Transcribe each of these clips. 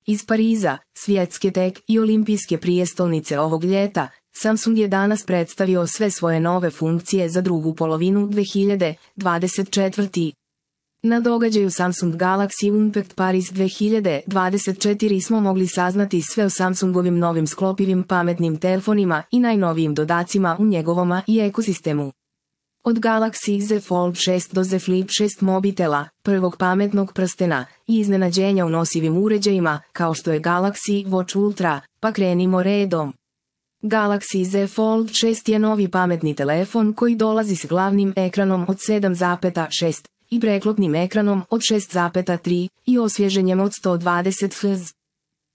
Iz Pariza, svjetske tek i olimpijske prijestolnice ovog ljeta, Samsung je danas predstavio sve svoje nove funkcije za drugu polovinu 2024. Na događaju Samsung Galaxy Unpacked Paris 2024 smo mogli saznati sve o Samsungovim novim sklopivim pametnim telefonima i najnovijim dodacima u njegovom i ekosistemu. Od Galaxy Z Fold 6 do Z Flip 6 mobitela, prvog pametnog prstena i iznenađenja u nosivim uređajima, kao što je Galaxy Watch Ultra, pa krenimo redom. Galaxy Z Fold 6 je novi pametni telefon koji dolazi s glavnim ekranom od 7,6 i preklopnim ekranom od 6,3 i osvježenjem od 120 Hz.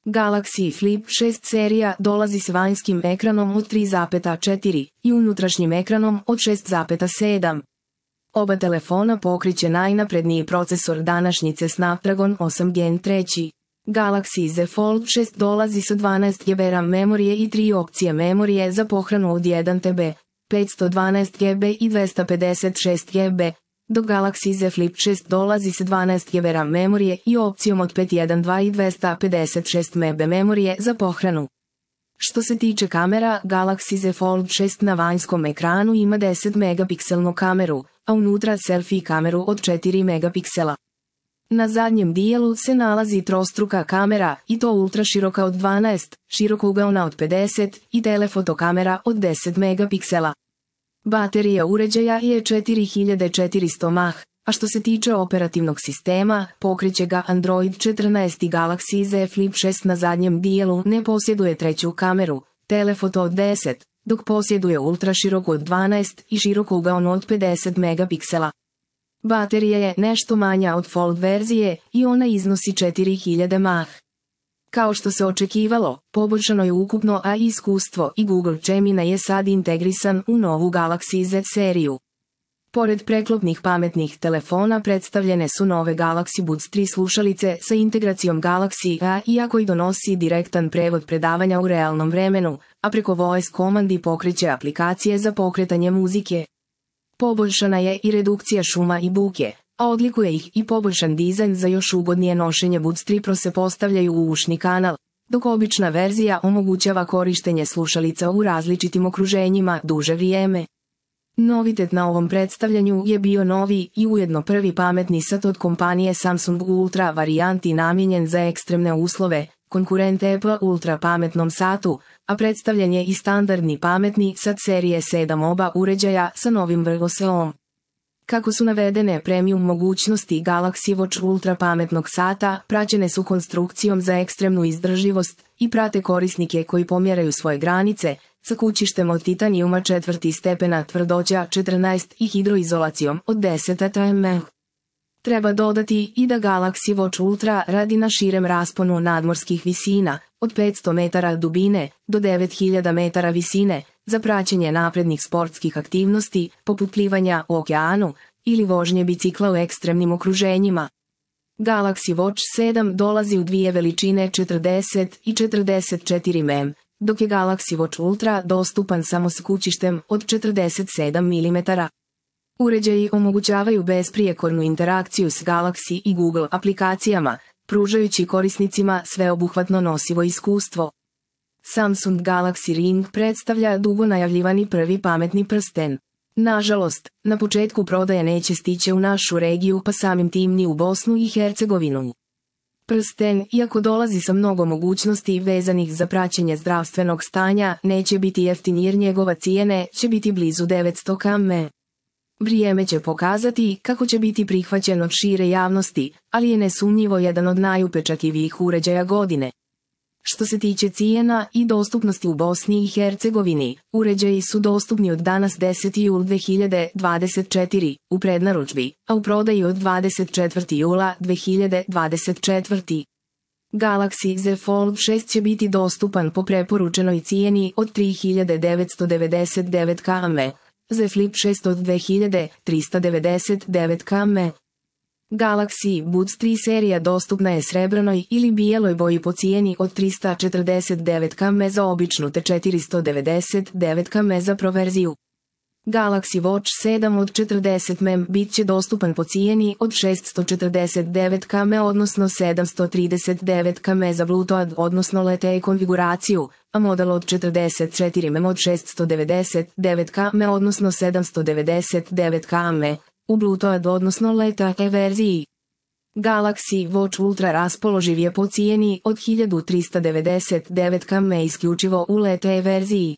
Galaxy Flip 6 serija dolazi s vanjskim ekranom od 3,4 i unutrašnjim ekranom od 6,7. Oba telefona pokriće najnapredniji procesor današnjice Snapdragon 8 Gen 3. Galaxy Z Fold 6 dolazi sa 12 GB RAM memorije i 3 opcije memorije za pohranu od 1 TB, 512 GB i 256 GB, dok Galaxy Z Flip 6 dolazi sa 12 GB RAM memorije i opcijom od 512 i 256 MB memorije za pohranu. Što se tiče kamera, Galaxy Z Fold 6 na vanjskom ekranu ima 10 megapikselnu kameru, a unutra selfie kameru od 4 megapiksela. Na zadnjem dijelu se nalazi trostruka kamera i to ultraširoka od 12, širokougaona od 50 i telefoto kamera od 10 megapiksela. Baterija uređaja je 4400 mAh, a što se tiče operativnog sistema, pokriće ga Android 14 i Galaxy Z Flip 6 na zadnjem dijelu ne posjeduje treću kameru, telefoto od 10, dok posjeduje ultraširoku od 12 i širokougaonu od 50 megapiksela. Baterija je nešto manja od Fold verzije i ona iznosi 4000 mAh. Kao što se očekivalo, poboljšano je ukupno AI iskustvo i Google Gemini je sad integrisan u novu Galaxy Z seriju. Pored preklopnih pametnih telefona predstavljene su nove Galaxy Buds 3 slušalice sa integracijom Galaxy AI koji donosi direktan prevod predavanja u realnom vremenu, a preko voice komandi pokreće aplikacije za pokretanje muzike. Poboljšana je i redukcija šuma i buke, a odlikuje ih i poboljšan dizajn za još ugodnije nošenje. Buds 3 Pro se postavljaju u ušni kanal, dok obična verzija omogućava korištenje slušalica u različitim okruženjima duže vrijeme. Novitet na ovom predstavljanju je bio novi i ujedno prvi pametni sat od kompanije Samsung u Ultra varijanti namijenjen za ekstremne uslove, konkurent Apple Ultra pametnom satu, a predstavljen je i standardni pametni sat serije 7 oba uređaja sa novim vrhoseom. Kako su navedene premium mogućnosti Galaxy Watch Ultra pametnog sata, praćene su konstrukcijom za ekstremnu izdržljivost i prate korisnike koji pomjeraju svoje granice, sa kućištem od titanijuma 4. stepena tvrdoća 14 i hidroizolacijom od 10 atm. Treba dodati i da Galaxy Watch Ultra radi na širem rasponu nadmorskih visina, od 500 metara dubine do 9000 metara visine, za praćenje naprednih sportskih aktivnosti, poput plivanja u okeanu ili vožnje bicikla u ekstremnim okruženjima. Galaxy Watch 7 dolazi u dvije veličine 40 i 44 mm, dok je Galaxy Watch Ultra dostupan samo s kućištem od 47 mm. Uređaji omogućavaju besprijekornu interakciju s Galaxy i Google aplikacijama, pružajući korisnicima sveobuhvatno nosivo iskustvo. Samsung Galaxy Ring predstavlja dugo najavljivani prvi pametni prsten. Nažalost, na početku prodaje neće stići u našu regiju pa samim tim ni u Bosnu i Hercegovinu. Prsten, iako dolazi sa mnogo mogućnosti vezanih za praćenje zdravstvenog stanja, neće biti jeftin jer njegova cijene će biti blizu 900 km. Vrijeme će pokazati kako će biti prihvaćen od šire javnosti, ali je nesumnjivo jedan od najupečatljivijih uređaja godine. Što se tiče cijena i dostupnosti u Bosni i Hercegovini, uređaji su dostupni od danas 10. jul 2024 u prednaručbi, a u prodaji od 24. jula 2024. Galaxy Z Fold 6 će biti dostupan po preporučenoj cijeni od 3999 km, Z Flip 6 od 2399 km. Galaxy Buds 3 serija dostupna je srebranoj ili bijeloj boji po cijeni od 349 km za običnu te 499 km za Pro verziju. Galaxy Watch 7 od 40 mm bit će dostupan po cijeni od 649 km odnosno 739 km za Bluetooth odnosno LTE konfiguraciju, a model od 44 mm od 699 km odnosno 799 km u Bluetooth odnosno LTE verziji. Galaxy Watch Ultra raspoloživ je po cijeni od 1399 km isključivo u LTE verziji.